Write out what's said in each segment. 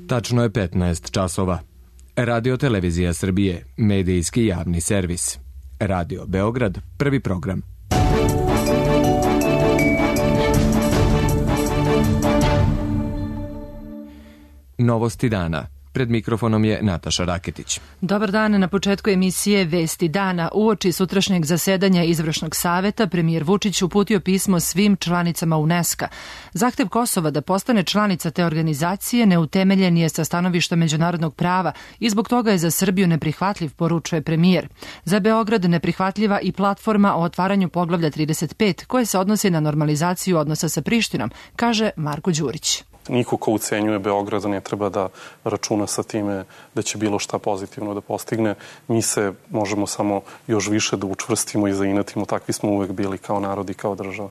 Tačno je 15 časova. Radio Televizija Srbije, medijski javni servis. Radio Beograd, prvi program. Novosti dana. Pred mikrofonom je Nataša Raketić. Dobar dan. Na početku emisije Vesti dana. Uoči sutrašnjeg zasedanja Izvršnog saveta premijer Vučić uputio pismo svim članicama UNESCO-a. Zahtev Kosova da postane članica te organizacije neutemeljen je sa stanovišta međunarodnog prava i zbog toga je za Srbiju neprihvatljiv, poručuje premijer. Za Beograd neprihvatljiva i platforma o otvaranju poglavlja 35 koje se odnosi na normalizaciju odnosa sa Prištinom, kaže Marko Đurić. Niko ko ucenjuje Beograd ne treba da računa sa time da će bilo šta pozitivno da postigne. Mi se možemo samo još više da učvrstimo i zainatimo. Takvi smo uvek bili kao narod i kao država.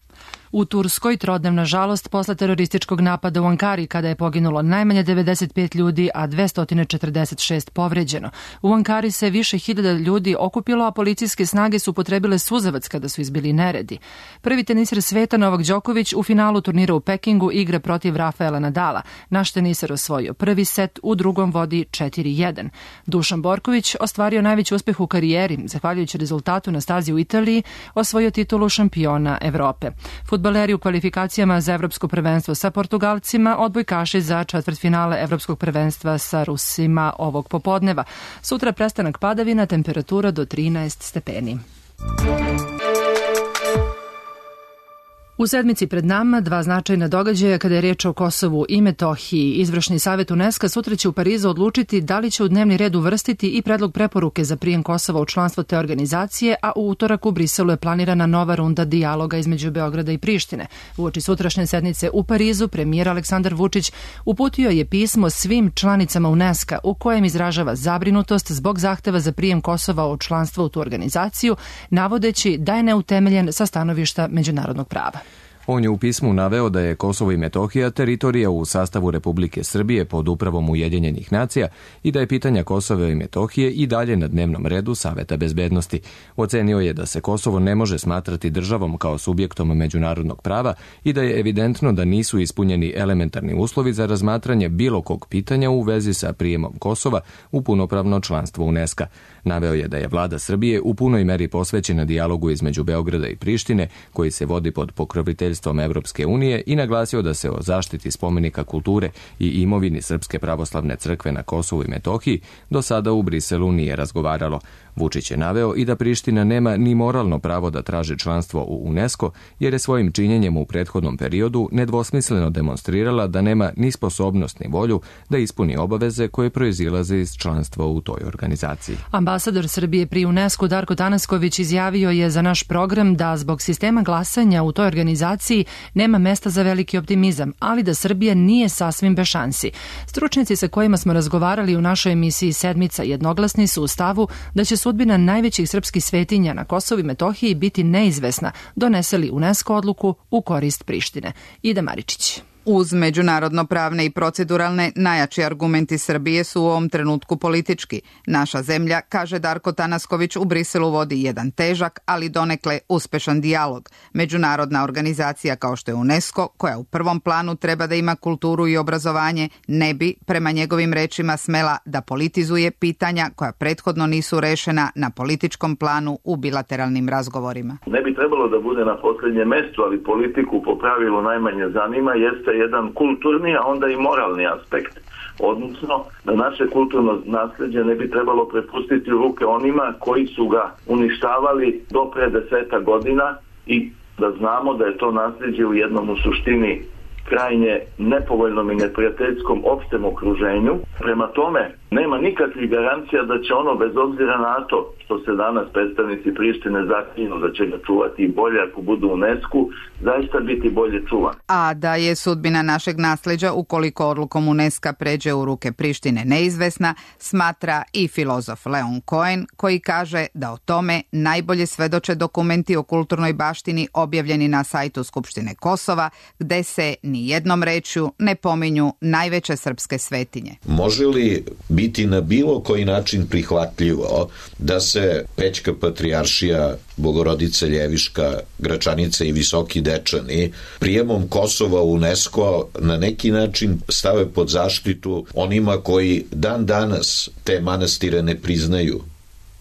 U Turskoj trodnevna žalost posle terorističkog napada u Ankari kada je poginulo najmanje 95 ljudi, a 246 povređeno. U Ankari se više hiljada ljudi okupilo, a policijske snage su upotrebile suzavac kada su izbili neredi. Prvi teniser sveta Novak Đoković u finalu turnira u Pekingu igra protiv Rafaela Nadala. Naš teniser osvojio prvi set, u drugom vodi 4-1. Dušan Borković ostvario najveći uspeh u karijeri, zahvaljujući rezultatu na stazi u Italiji, osvojio titulu šampiona Evrope. Fudbaleri u kvalifikacijama za Evropsko prvenstvo sa Portugalcima, odbojkaši za četvrtfinale Evropskog prvenstva sa Rusima ovog popodneva. Sutra prestanak padavina, temperatura do 13 stepeni. U sedmici pred nama dva značajna događaja kada je riječ o Kosovu i Metohiji. Izvršni savjet UNESCO sutra će u Parizu odlučiti da li će u dnevni red uvrstiti i predlog preporuke za prijem Kosova u članstvo te organizacije, a u utorak u Briselu je planirana nova runda dijaloga između Beograda i Prištine. Uoči sutrašnje sednice u Parizu premijer Aleksandar Vučić uputio je pismo svim članicama UNESCO u kojem izražava zabrinutost zbog zahteva za prijem Kosova u članstvo u tu organizaciju, navodeći da je neutemeljen sa stanovišta međunarodnog prava. On je u pismu naveo da je Kosovo i Metohija teritorija u sastavu Republike Srbije pod upravom Ujedinjenih nacija i da je pitanja Kosova i Metohije i dalje na dnevnom redu Saveta bezbednosti. Ocenio je da se Kosovo ne može smatrati državom kao subjektom međunarodnog prava i da je evidentno da nisu ispunjeni elementarni uslovi za razmatranje bilo kog pitanja u vezi sa prijemom Kosova u punopravno članstvo UNESCO-a. Naveo je da je vlada Srbije u punoj meri posvećena dijalogu između Beograda i Prištine, koji se vodi pod pokroviteljstvom Evropske unije, i naglasio da se o zaštiti spomenika kulture i imovini Srpske pravoslavne crkve na Kosovu i Metohiji do sada u Briselu nije razgovaralo. Vučić je naveo i da Priština nema ni moralno pravo da traži članstvo u UNESCO, jer je svojim činjenjem u prethodnom periodu nedvosmisleno demonstrirala da nema ni sposobnost ni volju da ispuni obaveze koje proizilaze iz članstva u toj organizaciji. Ambasador Srbije pri UNESCO Darko Tanasković izjavio je za naš program da zbog sistema glasanja u toj organizaciji nema mesta za veliki optimizam, ali da Srbija nije sasvim bez šansi. Stručnjaci sa kojima smo razgovarali u našoj emisiji Sedmica jednoglasni su u stavu da će sudbina najvećih srpskih svetinja na Kosovu i Metohiji biti neizvesna, donese li UNESCO odluku u korist Prištine. Ida Maričić. Uz međunarodno-pravne i proceduralne, najjači argumenti Srbije su u ovom trenutku politički. Naša zemlja, kaže Darko Tanasković, u Briselu vodi jedan težak, ali donekle uspešan dijalog. Međunarodna organizacija kao što je UNESCO, koja u prvom planu treba da ima kulturu i obrazovanje, ne bi, prema njegovim rečima, smela da politizuje pitanja koja prethodno nisu rešena na političkom planu u bilateralnim razgovorima. Ne bi trebalo da bude na posljednjem mestu, ali politiku po pravilu najmanje zanima, jeste jedan kulturni, a onda i moralni aspekt. Odnosno, da naše kulturno nasljeđe ne bi trebalo prepustiti u ruke onima koji su ga uništavali do pre 10 godina i da znamo da je to nasljeđe u jednom u suštini krajnje nepovoljnom i neprijateljskom opštem okruženju. Prema tome, nema nikakvih garancija da će ono, bez obzira na to što se danas predstavnici Prištine zaklinju da će ga čuvati bolje ako budu u UNESCO-u, zaista biti bolje čuvan. A da je sudbina našeg nasleđa, ukoliko odlukom UNESCO pređe u ruke Prištine, neizvesna, smatra i filozof Leon Cohen, koji kaže da o tome najbolje svedoče dokumenti o kulturnoj baštini objavljeni na sajtu Skupštine Kosova, gde se ni jednom rečju ne pominju najveće srpske svetinje. Može li biti na bilo koji način prihvatljivo da se se Pećka patrijaršija, Bogorodica Ljeviška, Gračanice i Visoki Dečani prijemom Kosova u UNESCO na neki način stave pod zaštitu onima koji dan danas te manastire ne priznaju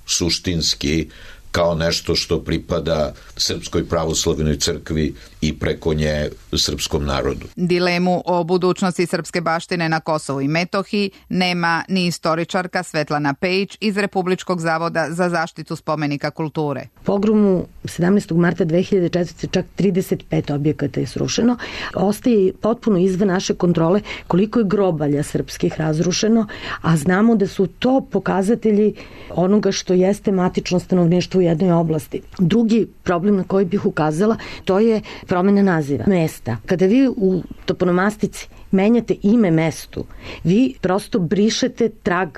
suštinski kao nešto što pripada Srpskoj pravoslavnoj crkvi i preko nje srpskom narodu. Dilemu o budućnosti srpske baštine na Kosovu i Metohiji nema ni istoričarka Svetlana Pejić iz Republičkog zavoda za zaštitu spomenika kulture. Pogromu 17. marta 2004. čak 35 objekata je srušeno. Ostaje potpuno izvan naše kontrole koliko je grobalja srpskih razrušeno, a znamo da su to pokazatelji onoga što jeste matično stanovništvo u jednoj oblasti. Drugi problem na koji bih ukazala, to je promena naziva mesta. Kada vi u toponomastici menjate ime mestu, vi prosto brišete trag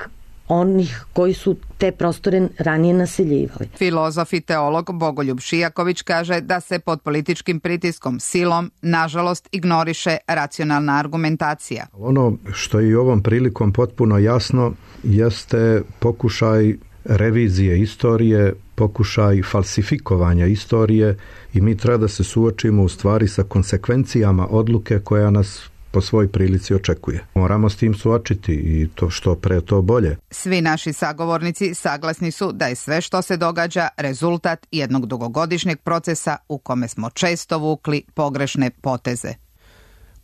onih koji su te prostore ranije naseljivali. Filozof i teolog Bogoljub Šijaković kaže da se pod političkim pritiskom, silom, nažalost, ignoriše racionalna argumentacija. Ono što je i ovom prilikom potpuno jasno jeste pokušaj revizije istorije, pokušaj falsifikovanja istorije i mi treba da se suočimo u stvari sa konsekvencijama odluke koja nas po svoj prilici očekuje. Moramo s tim suočiti i to što pre to bolje. Svi naši sagovornici saglasni su da je sve što se događa rezultat jednog dugogodišnjeg procesa u kome smo često vukli pogrešne poteze.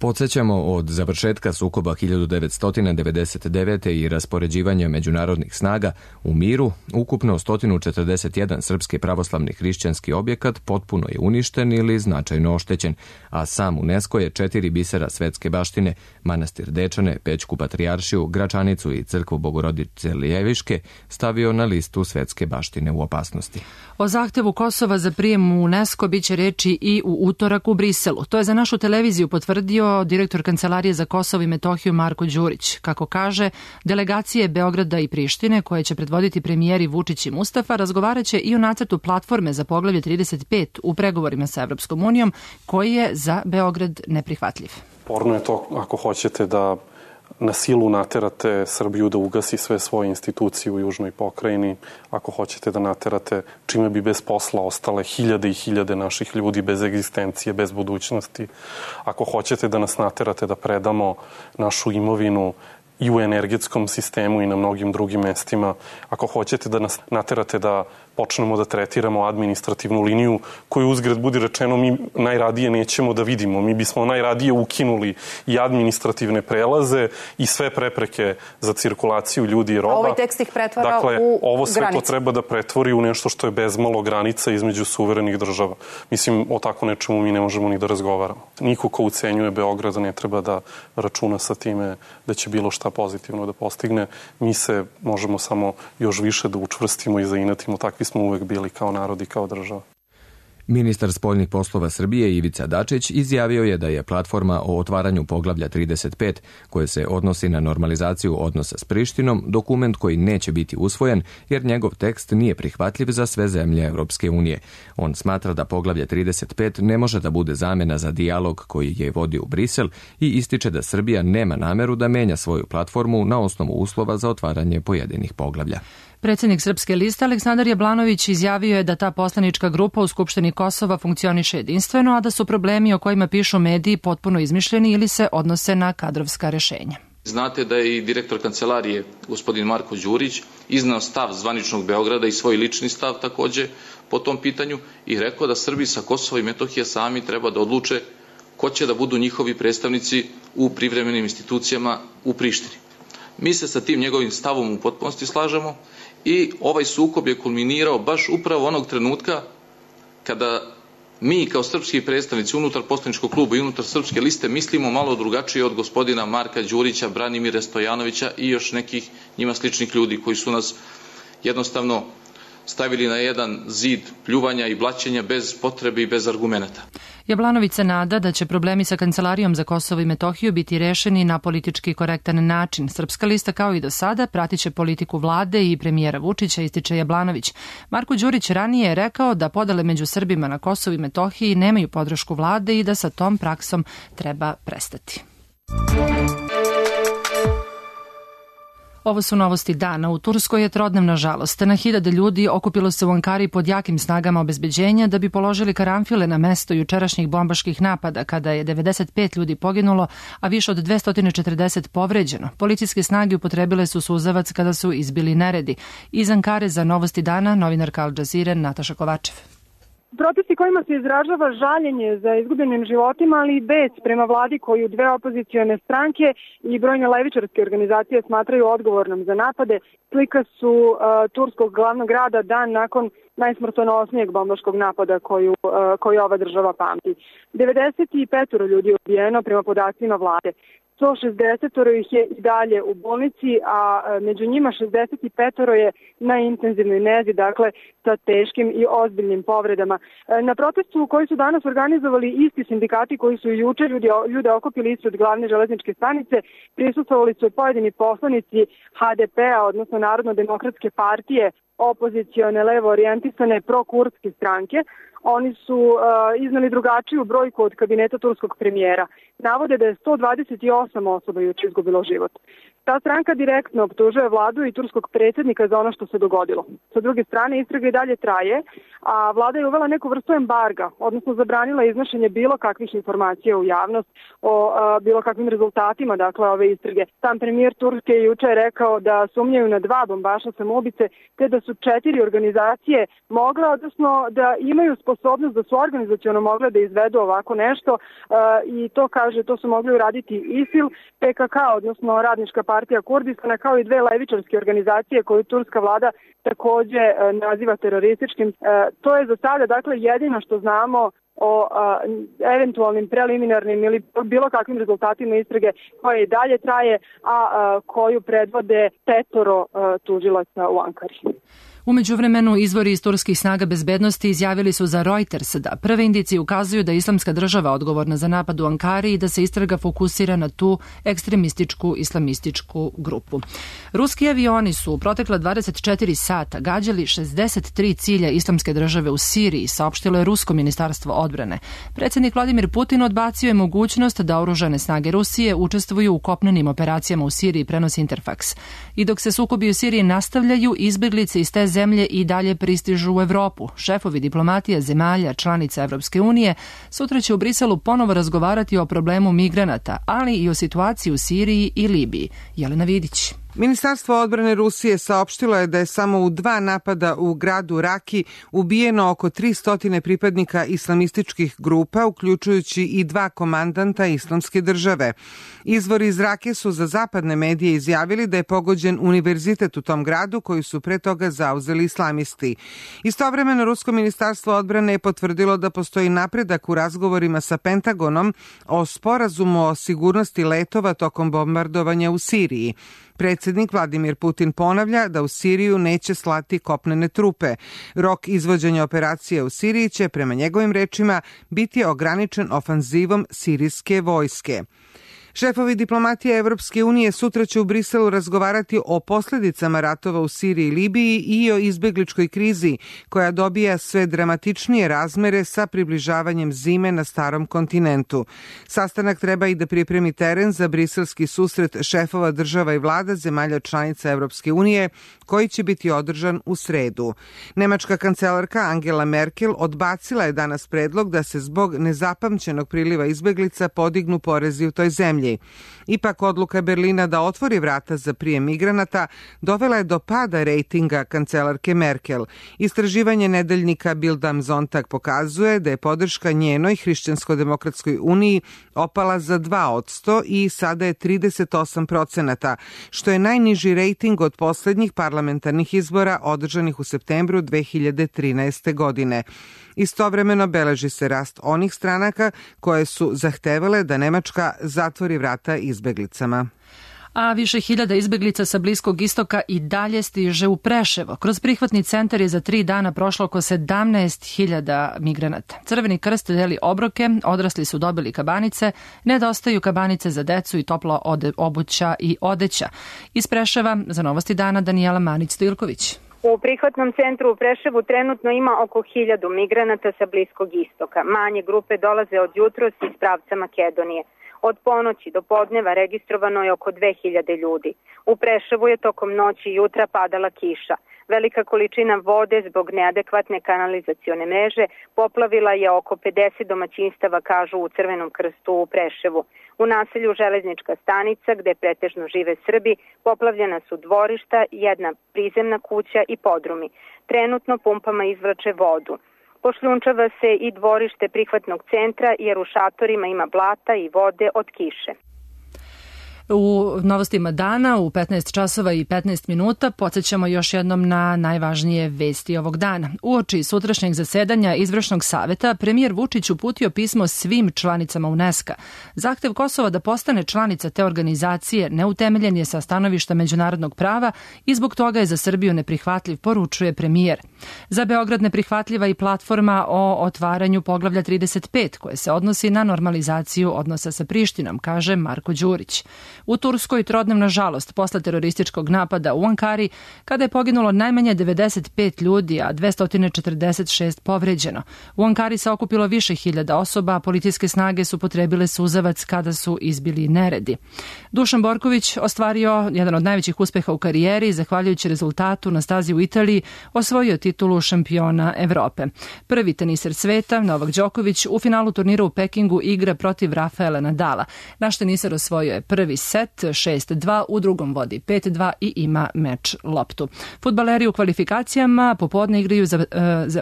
Podsjećamo, od završetka sukoba 1999. i raspoređivanja međunarodnih snaga u miru, ukupno 141 srpski pravoslavni hrišćanski objekat potpuno je uništen ili značajno oštećen, a sam UNESCO je 4 bisera svetske baštine, manastir Dečane, Pećku patrijaršiju, Gračanicu i crkvu Bogorodice Ljeviške, stavio na listu svetske baštine u opasnosti. O zahtevu Kosova za prijem u UNESCO biće reči i u utorak u Briselu. To je za našu televiziju potvrdio direktor Kancelarije za Kosovo i Metohiju Marko Đurić. Kako kaže, delegacije Beograda i Prištine, koje će predvoditi premijeri Vučić i Mustafa, razgovaraće i o nacrtu platforme za poglavlje 35 u pregovorima sa Evropskom unijom, koji je za Beograd neprihvatljiv. Porno je to, ako hoćete, da na silu naterate Srbiju da ugasi sve svoje institucije u južnoj pokrajini, ako hoćete da naterate, čime bi bez posla ostale hiljade i hiljade naših ljudi bez egzistencije, bez budućnosti, ako hoćete da nas naterate da predamo našu imovinu i u energetskom sistemu i na mnogim drugim mestima, ako hoćete da nas naterate da počnemo da tretiramo administrativnu liniju koju, uzgred budi rečeno, mi najradije nećemo da vidimo. Mi bismo najradije ukinuli i administrativne prelaze i sve prepreke za cirkulaciju ljudi i roba. A ovaj tekst ih pretvara dakle, u ovo sve granice. to treba da pretvori u nešto što je bezmalo granica između suverenih država. Mislim, o tako nečemu mi ne možemo ni da razgovaramo. Niko ko ucenjuje Beograd ne treba da računa sa time da će bilo šta pozitivno da postigne. Mi se možemo samo još više da učvrstimo i zainatimo. Takvi smo uvek bili kao narod i kao država. Ministar spoljnih poslova Srbije Ivica Dačić izjavio je da je platforma o otvaranju poglavlja 35, koje se odnosi na normalizaciju odnosa s Prištinom, dokument koji neće biti usvojen jer njegov tekst nije prihvatljiv za sve zemlje Evropske unije. On smatra da poglavlje 35 ne može da bude zamena za dijalog koji je vodio u Brisel i ističe da Srbija nema nameru da menja svoju platformu na osnovu uslova za otvaranje pojedinih poglavlja. Predsjednik Srpske liste Aleksandar Jablanović izjavio je da ta poslanička grupa u Skupštini Kosova funkcioniše jedinstveno, a da su problemi o kojima pišu mediji potpuno izmišljeni ili se odnose na kadrovska rešenja. Znate da je i direktor kancelarije, gospodin Marko Đurić, iznao stav zvaničnog Beograda i svoj lični stav takođe po tom pitanju i rekao da Srbi sa Kosova i Metohije sami treba da odluče ko će da budu njihovi predstavnici u privremenim institucijama u Prištini. Mi se sa tim njegovim stavom u potpunosti slažemo i ovaj sukob je kulminirao baš upravo onog trenutka kada mi kao srpski predstavnici unutar poslaničkog kluba i unutar Srpske liste mislimo malo drugačije od gospodina Marka Đurića, Branimira Stojanovića i još nekih njima sličnih ljudi koji su nas jednostavno stavili na jedan zid pljuvanja i blaćenja bez potrebe i bez argumenata. Jablanović se nada da će problemi sa Kancelarijom za Kosovo i Metohiju biti rešeni na politički korektan način. Srpska lista, kao i do sada, pratiće politiku vlade i premijera Vučića, ističe Jablanović. Marko Đurić ranije je rekao da podele među Srbima na Kosovu i Metohiji nemaju podršku vlade i da sa tom praksom treba prestati. Ovo su novosti dana. U Turskoj je trodnevna žalost. Na hiljade ljudi okupilo se u Ankari pod jakim snagama obezbeđenja da bi položili karanfile na mesto jučerašnjih bombaških napada, kada je 95 ljudi poginulo, a više od 240 povređeno. Policijske snage upotrebile su suzavac kada su izbili neredi. Iz Ankare za novosti dana, novinarka Al Jazeere Nataša Kovačev. Protesti kojima se izražava žaljenje za izgubljenim životima, ali i bes prema vladi koju dve opozicione stranke i brojne levičarske organizacije smatraju odgovornom za napade, slika su turskog glavnog grada dan nakon najsmrtonosnijeg bombaškog napada koju ova država pamti. 95 ljudi je ubijeno prema podacima vlade. 160 ih je i dalje u bolnici, a među njima 65 je na intenzivnoj nezi, dakle sa teškim i ozbiljnim povredama. Na protestu koji su danas organizovali isti sindikati koji su juče ljude okupili ispred glavne železničke stanice, prisustvovali su pojedini poslanici HDP-a, odnosno Narodno-demokratske partije, opozicione, levo orijentisane, prokurdske stranke. Oni su iznali drugačiju brojku od kabineta turskog premijera. Navode da je 128 osoba juče izgubilo život. Ta stranka direktno optužuje vladu i turskog predsjednika za ono što se dogodilo. Sa druge strane, istraga i dalje traje, a vlada je uvela neku vrstu embarga, odnosno zabranila iznošenje bilo kakvih informacija u javnost o bilo kakvim rezultatima, dakle, ove istrage. Sam premijer Turske je juče rekao da sumnjaju na 2 bombaša samoubice, te da su 4 organizacije mogle, odnosno da imaju sposobnost da su organizaciono mogle da izvedu ovako nešto i to kaže, to su mogli uraditi ISIL, PKK, odnosno Radnička partija Kurdistana, kao i 2 levičarske organizacije koju turska vlada takođe naziva terorističkim. To je za sada, dakle, jedino što znamo o eventualnim preliminarnim ili bilo kakvim rezultatima istrage koje i dalje traje, a koju predvode 5 tužilaca u Ankari. U međuvremenu, izvori iz turskih snaga bezbednosti izjavili su za Reuters da prve indicije ukazuju da je Islamska država odgovorna za napad u Ankari i da se istraga fokusira na tu ekstremističku islamističku grupu. Ruski avioni su u protekla 24 sata gađali 63 cilja Islamske države u Siriji, saopštilo je Rusko ministarstvo odbrane. Predsjednik Vladimir Putin odbacio je mogućnost da oružane snage Rusije učestvuju u kopnenim operacijama u Siriji, prenosi Interfax. I dok se sukobi u Siriji nastavljaju, izbeglice iz te zemlje i dalje pristižu u Evropu. Šefovi diplomatija zemalja članica Evropske unije sutra će u Briselu ponovo razgovarati o problemu migranata, ali i o situaciji u Siriji i Libiji. Jelena Vidić. Ministarstvo odbrane Rusije saopštilo je da je samo u 2 napada u gradu Raki ubijeno oko 300 pripadnika islamističkih grupa, uključujući i 2 komandanta Islamske države. Izvori iz Rake su za zapadne medije izjavili da je pogođen univerzitet u tom gradu koji su pre toga zauzeli islamisti. Istovremeno, Rusko ministarstvo odbrane je potvrdilo da postoji napredak u razgovorima sa Pentagonom o sporazumu o sigurnosti letova tokom bombardovanja u Siriji. Predsjednik Vladimir Putin ponavlja da u Siriju neće slati kopnene trupe. Rok izvođenja operacije u Siriji će, prema njegovim rečima, biti ograničen ofanzivom sirijske vojske. Šefovi diplomatije Evropske unije sutra će u Briselu razgovarati o posljedicama ratova u Siriji i Libiji i o izbegličkoj krizi koja dobija sve dramatičnije razmere sa približavanjem zime na starom kontinentu. Sastanak treba i da pripremi teren za briselski susret šefova država i vlada zemalja članica Evropske unije koji će biti održan u sredu. Nemačka kancelarka Angela Merkel odbacila je danas predlog da se zbog nezapamćenog priliva izbeglica podignu porezi u toj zemlji. Ipak odluka Berlina da otvori vrata za prijem migranata dovela je do pada rejtinga kancelarke Merkel. Istraživanje nedeljnika Bild am Sonntag pokazuje da je podrška njenoj Hrišćansko-demokratskoj uniji opala za 2% i sada je 38%, što je najniži rejting od posljednjih parlamentarnih izbora održanih u septembru 2013. godine. Istovremeno beleži se rast onih stranaka koje su zahtevale da Nemačka zatvori vrata izbeglicama. A više hiljada izbeglica sa Bliskog istoka i dalje stiže u Preševo. Kroz prihvatni centar je za 3 dana prošlo oko 17.000 migranata. Crveni krst deli obroke, odrasli su dobili kabanice, nedostaju kabanice za decu i topla obuća i odeća. Iz Preševa za Novosti dana Danijela Manić-Stojilković. U prihvatnom centru u Preševu trenutno ima oko 1000 migranata sa Bliskog istoka. Manje grupe dolaze od jutros iz pravca Makedonije. Od ponoći do podneva registrovano je oko 2000 ljudi. U Preševu je tokom noći i jutra padala kiša. Velika količina vode zbog neadekvatne kanalizacione mreže poplavila je oko 50 domaćinstava, kažu u Crvenom krstu u Preševu. U naselju Železnička stanica, gde pretežno žive Srbi, poplavljena su dvorišta, jedna prizemna kuća i podrumi. Trenutno pumpama izvlače vodu. Pošljunčava se i dvorište prihvatnog centra jer u šatorima ima blata i vode od kiše. U novostima dana u 15 časova i 15 minuta podsjećamo još jednom na najvažnije vesti ovog dana. Uoči sutrašnjeg zasedanja Izvršnog saveta, premijer Vučić uputio pismo svim članicama UNESCO. Zahtev Kosova da postane članica te organizacije neutemeljen je sa stanovišta međunarodnog prava i zbog toga je za Srbiju neprihvatljiv, poručuje premijer. Za Beograd neprihvatljiva i platforma o otvaranju poglavlja 35 koje se odnosi na normalizaciju odnosa sa Prištinom, kaže Marko Đurić. U Turskoj trodnevna žalost posle terorističkog napada u Ankari, kada je poginulo najmanje 95 ljudi, a 246 povređeno. U Ankari se okupilo više hiljada osoba, a policijske snage su potrebile suzavac kada su izbili neredi. Dušan Borković ostvario jedan od najvećih uspeha u karijeri, zahvaljujući rezultatu na stazi u Italiji, osvojio titulu šampiona Evrope. Prvi teniser sveta, Novak Đoković, u finalu turnira u Pekingu igra protiv Rafaela Nadala. Naš teniser osvojio je prvi set 6-2, u drugom vodi 5-2 i ima meč loptu. Fudbaleri u kvalifikacijama popodne igraju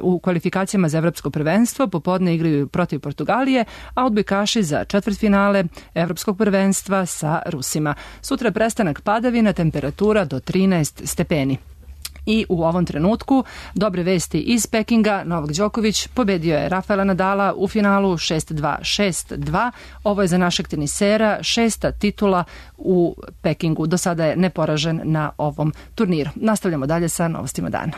u kvalifikacijama za evropsko prvenstvo, popodne igraju protiv Portugalije, a odbojkaši za četvrtfinale evropskog prvenstva sa Rusima. Sutra prestanak padavina, temperatura do 13 stepeni. I u ovom trenutku dobre vesti iz Pekinga. Novak Đoković pobedio je Rafaela Nadala u finalu 6-2, 6-2. Ovo je za našeg tenisera 6. titula u Pekingu. Do sada je neporažen na ovom turniru. Nastavljamo dalje sa novostima dana.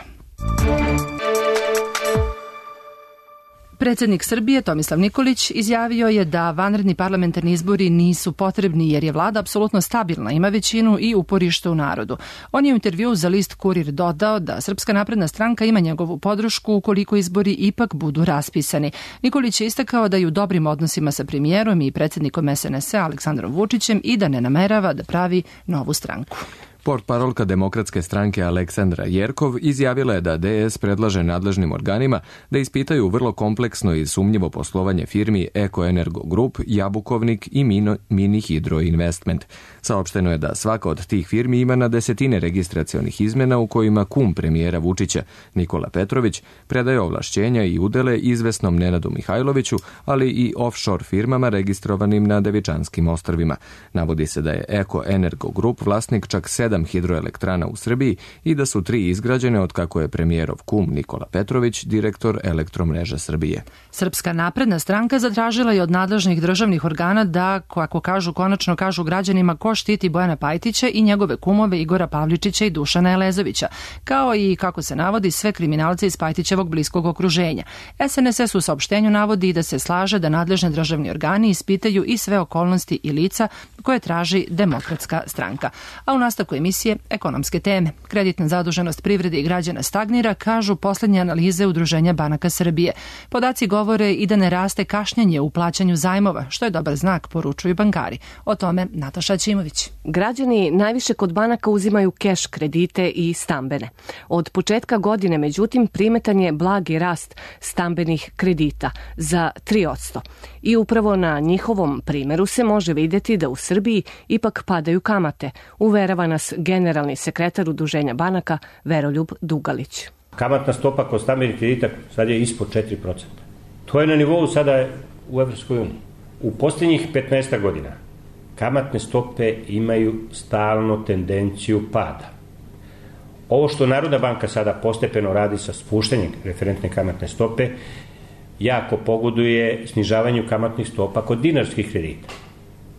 Predsjednik Srbije Tomislav Nikolić izjavio je da vanredni parlamentarni izbori nisu potrebni jer je vlada apsolutno stabilna, ima većinu i uporište u narodu. On je u intervjuu za list Kurir dodao da Srpska napredna stranka ima njegovu podršku ukoliko izbori ipak budu raspisani. Nikolić je istakao da je u dobrim odnosima sa premijerom i predsjednikom SNS-a Aleksandrom Vučićem i da ne namerava da pravi novu stranku. Portparolka Demokratske stranke Aleksandra Jerkov izjavila je da DS predlaže nadležnim organima da ispitaju vrlo kompleksno i sumnjivo poslovanje firmi Eko Energo Group, Jabukovnik i Mini Hydro Investment. Saopšteno je da svaka od tih firmi ima na desetine registracionih izmena u kojima kum premijera Vučića, Nikola Petrović, predaje ovlašćenja i udele izvesnom Nenadu Mihajloviću, ali i offshore firmama registrovanim na Devičanskim ostrvima. Navodi se da je Eko Energo Group vlasnik čak 7 hidroelektrana u Srbiji i da su 3 izgrađene od kako je premijerov kum Nikola Petrović direktor Elektromreža Srbije. Srpska napredna stranka zatražila je od nadležnih državnih organa da, kako kažu, konačno kažu građanima ko štiti Bojana Pajtića i njegove kumove Igora Pavličića i Dušana Elezovića, kao i, kako se navodi, sve kriminalce iz Pajtićevog bliskog okruženja. SNSS u saopštenju navodi da se slaže da nadležni državni organi ispitaju i sve okolnosti i lica koje traži Demokratska stranka. A u nastavku emisije ekonomske teme. Kreditna zaduženost privrede i građana stagnira, kažu poslednje analize Udruženja banaka Srbije. Podaci govore i da ne raste kašnjenje u plaćanju zajmova, što je dobar znak, poručuju bankari. O tome Nataša Ćimović. Građani najviše kod banaka uzimaju keš kredite i stambene. Od početka godine, međutim, primetan je blagi rast stambenih kredita za 3%. I upravo na njihovom primeru se može vidjeti da u Srbiji ipak padaju kamate, uverava nas generalni sekretar Udruženja banaka Veroljub Dugalić. Kamatna stopa kod stambenih kredita sad je ispod 4%. To je na nivou sada u Evropskoj uniji. U posljednjih 15 godina kamatne stope imaju stalno tendenciju pada. Ovo što Narodna banka sada postepeno radi sa spuštanjem referentne kamatne stope jako pogoduje snižavanju kamatnih stopa kod dinarskih kredita.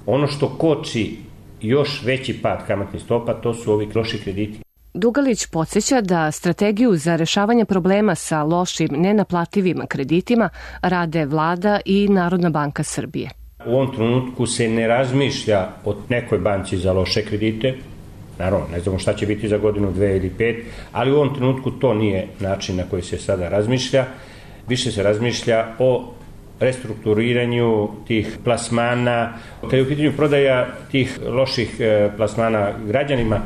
Ono što koči još veći pad kamatnih stopa, to su ovi loši krediti. Dugalić podsjeća da strategiju za rešavanje problema sa lošim, nenaplativim kreditima rade vlada i Narodna banka Srbije. U ovom trenutku se ne razmišlja o nekoj banci za loše kredite. Naravno, ne znamo šta će biti za godinu, 2 ili 5, ali u ovom trenutku to nije način na koji se sada razmišlja. Više se razmišlja o restrukturiranju tih plasmana. Kad je u pitanju prodaja tih loših plasmana građanima,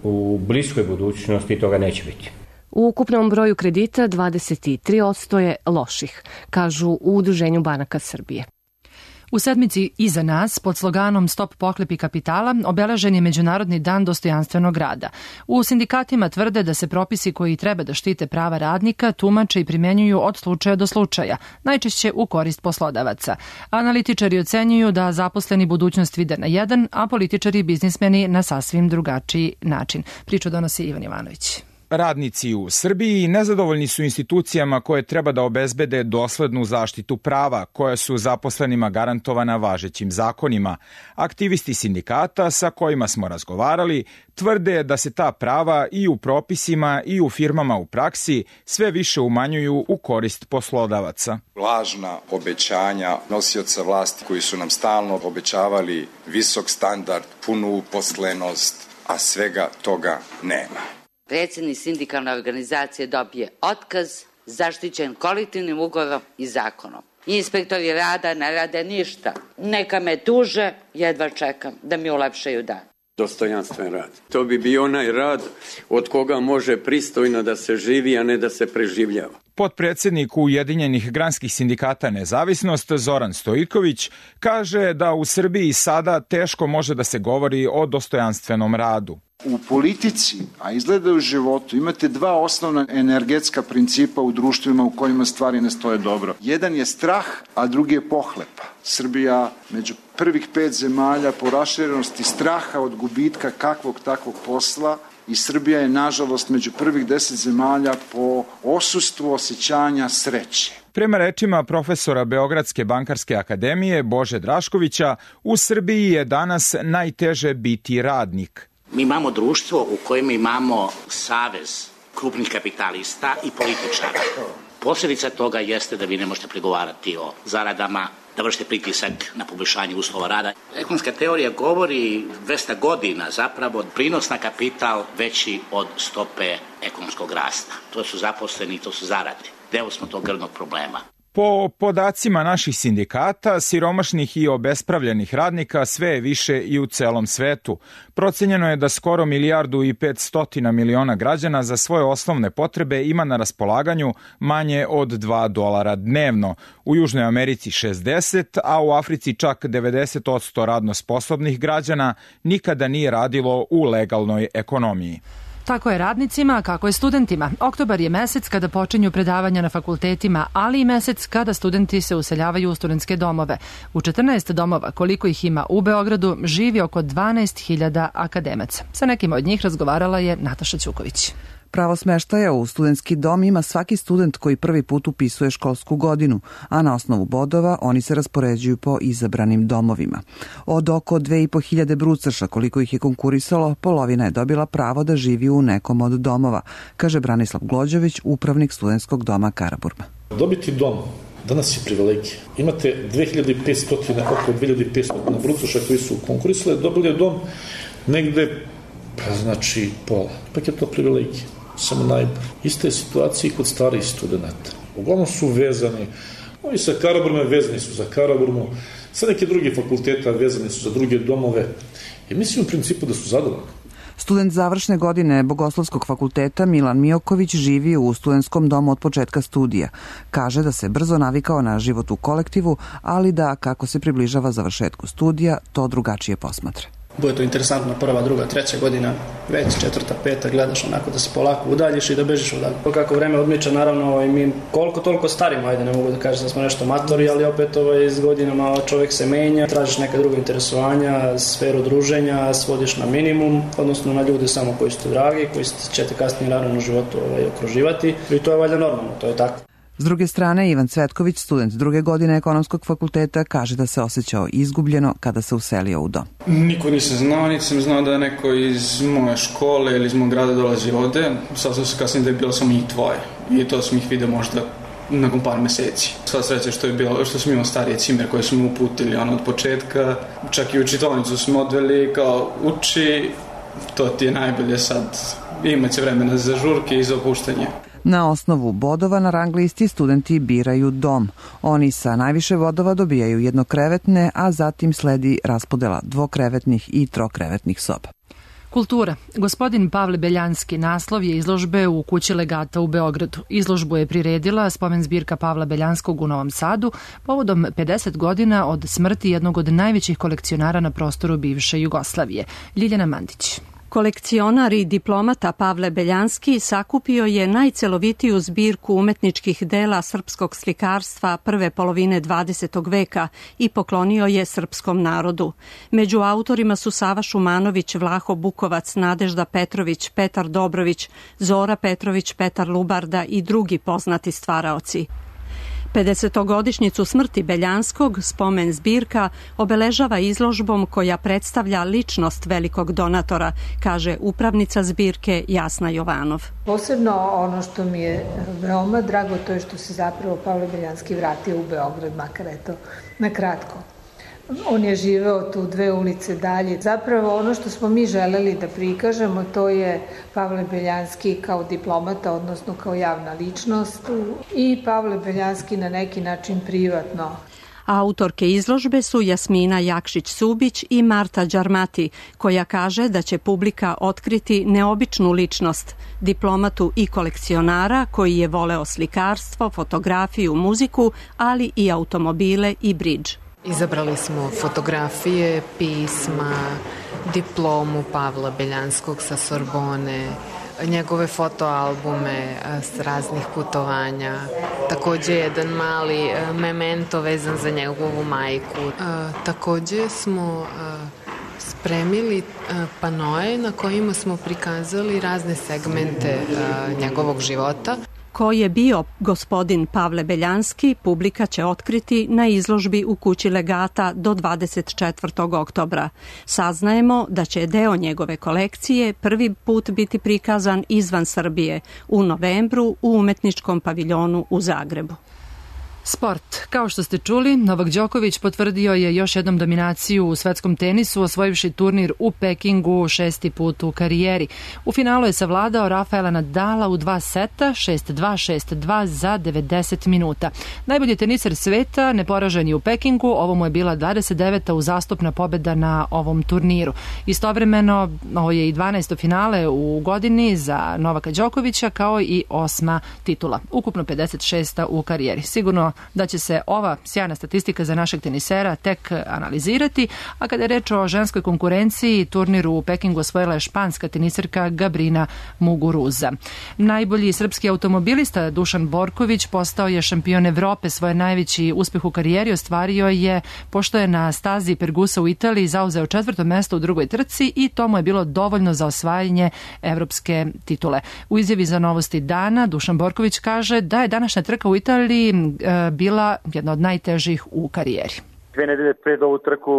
u bliskoj budućnosti toga neće biti. U ukupnom broju kredita 23% je loših, kažu u Udruženju banaka Srbije. U sedmici iza nas, pod sloganom Stop pohlepi kapitala, obeležen je Međunarodni dan dostojanstvenog rada. U sindikatima tvrde da se propisi koji treba da štite prava radnika tumače i primenjuju od slučaja do slučaja, najčešće u korist poslodavaca. Analitičari ocenjuju da zaposleni budućnost vide na jedan, a političari i biznismeni na sasvim drugačiji način. Priču donosi Ivan Ivanović. Radnici u Srbiji nezadovoljni su institucijama koje treba da obezbede doslednu zaštitu prava, koja su zaposlenima garantovana važećim zakonima. Aktivisti sindikata sa kojima smo razgovarali tvrde da se ta prava i u propisima i u firmama u praksi sve više umanjuju u korist poslodavaca. Lažna obećanja nosioca vlasti koji su nam stalno obećavali visok standard, punu uposlenost, a svega toga nema. Predsjednik sindikalne organizacije dobije otkaz, zaštićen kolektivnim ugovorom i zakonom. Inspektori rada ne rade ništa. Neka me tuže, jedva čekam da mi ulepšaju dan. Dostojanstven rad. To bi bio onaj rad od koga može pristojno da se živi, a ne da se preživljava. Potpredsjednik Ujedinjenih granskih sindikata Nezavisnost Zoran Stojković kaže da u Srbiji sada teško može da se govori o dostojanstvenom radu. U politici, a izgleda u životu, imate dva osnovna energetska principa u društvima u kojima stvari ne stoje dobro. Jedan je strah, a drugi je pohlepa. Srbija među prvih 5 zemalja po raširenosti straha od gubitka kakvog takvog posla i Srbija je, nažalost, među prvih 10 zemalja po osustvu osjećanja sreće. Prema rečima profesora Beogradske bankarske akademije Bože Draškovića, u Srbiji je danas najteže biti radnik. Mi imamo društvo u kojem imamo savez krupnih kapitalista i političara. Posljedica toga jeste da vi ne možete pregovarati o zaradama, da vršite pritisak na poboljšanje uslova rada. Ekonomska teorija govori 200 godina zapravo prinos na kapital veći od stope ekonomskog rasta. To su zaposleni, to su zarade. Deo smo tog grdnog problema. Po podacima naših sindikata, siromašnih i obespravljenih radnika sve je više i u celom svetu. Procenjeno je da skoro 1,5 milijardi građana za svoje osnovne potrebe ima na raspolaganju manje od $2 dnevno. U Južnoj Americi 60, a u Africi čak 90% radno sposobnih građana nikada nije radilo u legalnoj ekonomiji. Tako je radnicima, a kako je studentima. Oktobar je mesec kada počinju predavanja na fakultetima, ali i mesec kada studenti se useljavaju u studentske domove. U 14 domova, koliko ih ima u Beogradu, živi oko 12.000 akademaca. Sa nekim od njih razgovarala je Nataša Ćuković. Pravo smeštaja u studentski dom ima svaki student koji prvi put upisuje školsku godinu, a na osnovu bodova oni se raspoređuju po izabranim domovima. Od oko 2.500 brucaša koliko ih je konkurisalo, polovina je dobila pravo da živi u nekom od domova, kaže Branislav Glođević, upravnik studentskog doma Karaburma. Dobiti dom danas je privilegija. Imate 2500, oko 2500 brucaša koji su konkurisali, dobili dom negde, pa znači pola. Ipak je to privilegija. Samo najbolje. Ista je situacija i kod starijih studenta. Uglavnom su vezani, ovi sa Karaburme vezani su za Karaburmu, sa neke druge fakulteta vezani su za druge domove. I mislim u principu da su zadovoljni. Student završne godine Bogoslovskog fakulteta Milan Mijoković živi u studentskom domu od početka studija. Kaže da se brzo navikao na život u kolektivu, ali da kako se približava završetku studija, to drugačije posmatra. Bude to interesantno, prva, druga, treća godina, već četvrta, peta, gledaš onako da se polako udaljiš i da bežiš odalje. Kako vreme odmiče, naravno, mi koliko toliko starimo, ajde, ne mogu da kažem da smo nešto matori, ali opet s godinama čovjek se menja, tražiš neka druga interesovanja, sferu druženja, svodiš na minimum, odnosno na ljude samo koji su dragi, koji će te kasnije naravno u životu okruživati i to je valjda normalno, to je tako. S druge strane, Ivan Cvetković, student druge godine ekonomskog fakulteta, kaže da se osjećao izgubljeno kada se uselio u dom. Niko nisam znao, niti sam znao da je neko iz moje škole ili iz mog grada dolazi ovde. Saznao se kasnije da je bilo samo njih dvoje i to sam ih vidio možda nakon par meseci. Sva sreća što smo imali starije cimer koje smo uputili od početka. Čak i u čitaonicu smo odveli kao uči, to ti je najbolje sad, imat će vremena za žurke i za opuštanje. Na osnovu bodova na rang listi studenti biraju dom. Oni sa najviše bodova dobijaju jednokrevetne, a zatim sledi raspodela dvokrevetnih i trokrevetnih soba. Kultura. Gospodin Pavle Beljanski naslov je izložbe u Kući legata u Beogradu. Izložbu je priredila spomen zbirka Pavla Beljanskog u Novom Sadu povodom 50 godina od smrti jednog od najvećih kolekcionara na prostoru bivše Jugoslavije. Ljiljana Mandić. Kolekcionar i diplomata Pavle Beljanski sakupio je najcelovitiju zbirku umetničkih dela srpskog slikarstva prve polovine 20. veka i poklonio je srpskom narodu. Među autorima su Sava Šumanović, Vlaho Bukovac, Nadežda Petrović, Petar Dobrović, Zora Petrović, Petar Lubarda i drugi poznati stvaraoci. 50-godišnjicu smrti Beljanskog spomen zbirka obeležava izložbom koja predstavlja ličnost velikog donatora, kaže upravnica zbirke Jasna Jovanov. Posebno ono što mi je veoma drago, to je što se zapravo Pavle Beljanski vratio u Beograd, makar eto na kratko. On je živeo tu 2 ulice dalje. Zapravo ono što smo mi želeli da prikažemo, to je Pavle Beljanski kao diplomata, odnosno kao javna ličnost, i Pavle Beljanski na neki način privatno. Autorke izložbe su Jasmina Jakšić-Subić i Marta Đarmati, koja kaže da će publika otkriti neobičnu ličnost, diplomatu i kolekcionara koji je voleo slikarstvo, fotografiju, muziku, ali i automobile i bridž. Izabrali smo fotografije, pisma, diplomu Pavla Beljanskog sa Sorbone, njegove fotoalbume s raznih putovanja, takođe jedan mali memento vezan za njegovu majku. Takođe smo spremili panoe na kojima smo prikazali razne segmente njegovog života. Ko je bio gospodin Pavle Beljanski, publika će otkriti na izložbi u Kući legata do 24. oktobra. Saznajemo da će deo njegove kolekcije prvi put biti prikazan izvan Srbije u novembru u umetničkom paviljonu u Zagrebu. Sport. Kao što ste čuli, Novak Đoković potvrdio je još jednom dominaciju u svetskom tenisu, osvojivši turnir u Pekingu 6. put u karijeri. U finalu je savladao Rafaela Nadala u 2 seta, 6-2, 6-2 za 90 minuta. Najbolji teniser sveta, neporažen je u Pekingu, ovo mu je bila 29. uzastopna pobeda na ovom turniru. Istovremeno, ovo je i 12. finale u godini za Novaka Đokovića, kao i 8. titula. Ukupno 56. u karijeri. Sigurno da će se ova sjajna statistika za našeg tenisera tek analizirati, a kada je reč o ženskoj konkurenciji, turniru u Pekingu osvojila je španska teniserka Gabrina Muguruza. Najbolji srpski automobilista Dušan Borković postao je šampion Evrope. Svoj najveći uspeh u karijeri ostvario je pošto je na stazi Pergusa u Italiji zauzeo 4. mesto u drugoj trci i to mu je bilo dovoljno za osvajanje evropske titule. U izjavi za Novosti dana Dušan Borković kaže da je današnja trka u Italiji bila jedna od najtežih u karijeri. 2 nedelje pred ovu trku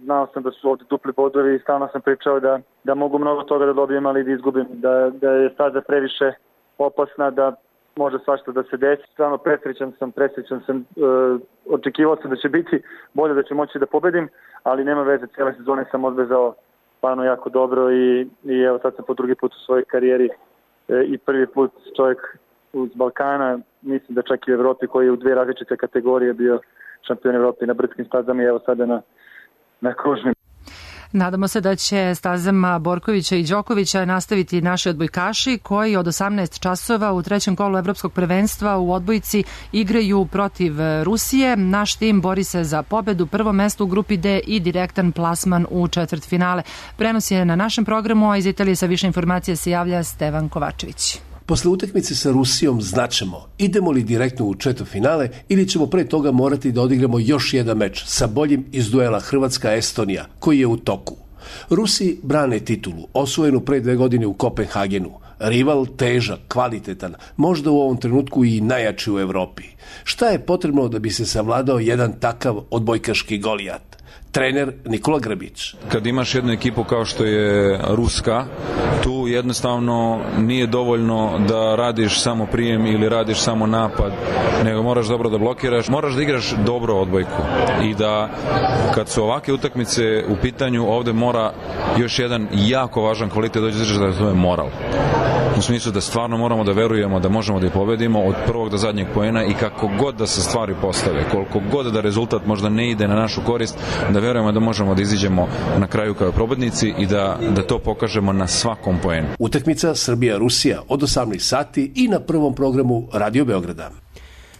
znao sam da su ovde dupli bodovi i stalno sam pričao da mogu mnogo toga da dobijem, ali da izgubim, da je staza previše opasna, da može svašta da se desi. Stvarno presrećan sam, očekivao sam da će biti bolje, da ću moći da pobedim, ali nema veze, cijele sezone sam odvezao stvarno jako dobro i evo sad sam po drugi put u svojoj karijeri i prvi put čovjek uz Balkana, mislim da čak i u Evropi, koji je u 2 različite kategorije bio šampion Evrope na brdskim stazama i evo sada na kružnim. Nadamo se da će stazama Borkovića i Đokovića nastaviti naši odbojkaši koji od 18 časova u 3. kolu evropskog prvenstva u odbojci igraju protiv Rusije. Naš tim bori se za pobedu, prvo mesto u grupi D i direktan plasman u četvrtfinale. Prenos je na našem programu, a iz Italije sa više informacija se javlja Stevan Kovačević. Posle utakmice sa Rusijom znaćemo idemo li direktno u četvrtfinale ili ćemo pre toga morati da odigramo još jedan meč sa boljim iz duela Hrvatska-Estonija koji je u toku. Rusi brane titulu, osvojenu pre 2 godine u Kopenhagenu. Rival težak, kvalitetan, možda u ovom trenutku i najjači u Evropi. Šta je potrebno da bi se savladao jedan takav odbojkaški Golijat? Trener Nikola Grbić. Kad imaš jednu ekipu kao što je ruska, tu jednostavno nije dovoljno da radiš samo prijem ili radiš samo napad, nego moraš dobro da blokiraš, moraš da igraš dobro odbojku i da kad su ovakve utakmice u pitanju, ovde mora još jedan jako važan kvalitet doći da to je moral. u smislu da stvarno moramo da verujemo da možemo da ih pobedimo od prvog do zadnjeg poena i kako god da se stvari postave, koliko god da rezultat možda ne ide na našu korist, da verujemo da možemo da iziđemo na kraju kao pobednici i da to pokažemo na svakom poenu. Utakmica Srbija-Rusija od 18 sati i na prvom programu Radio Beograda.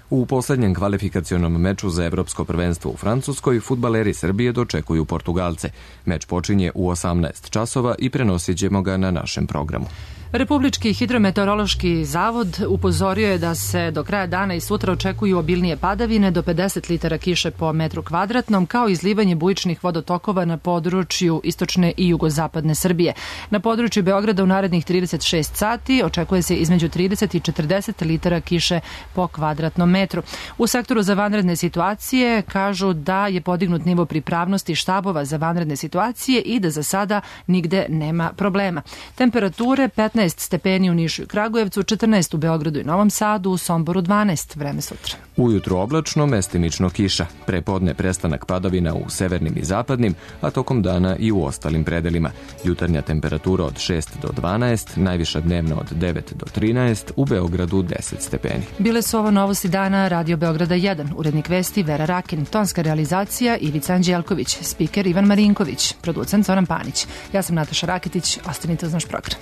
U poslednjem kvalifikacionom meču za evropsko prvenstvo u Francuskoj fudbaleri Srbije dočekuju Portugalce. Meč počinje u 18 časova i prenosit ćemo ga na našem programu. Republički hidrometeorološki zavod upozorio je da se do kraja dana i sutra očekuju obilnije padavine do 50 litara kiše po metru kvadratnom, kao izlivanje bujičnih vodotokova na području istočne i jugozapadne Srbije. Na području Beograda u narednih 36 sati očekuje se između 30 i 40 litara kiše po kvadratnom metru. U sektoru za vanredne situacije kažu da je podignut nivo pripravnosti štabova za vanredne situacije i da za sada nigde nema problema. Temperature 15 stepeni u Nišu i Kragujevcu, 14 u Beogradu i Novom Sadu, u Somboru 12, vreme sutra. Ujutru oblačno, mestimično kiša. Prepodne prestanak padavina u severnim i zapadnim, a tokom dana i u ostalim predelima. Jutarnja temperatura od 6 do 12, najviša dnevna od 9 do 13, u Beogradu 10 stepeni. Bile su ovo novosti dana Radio Beograda 1, urednik vesti Vera Rakin, tonska realizacija Ivica Anđelković, spiker Ivan Marinković, producent Zoran Panić. Ja sam Nataša Raketić, ostanite uz naš program.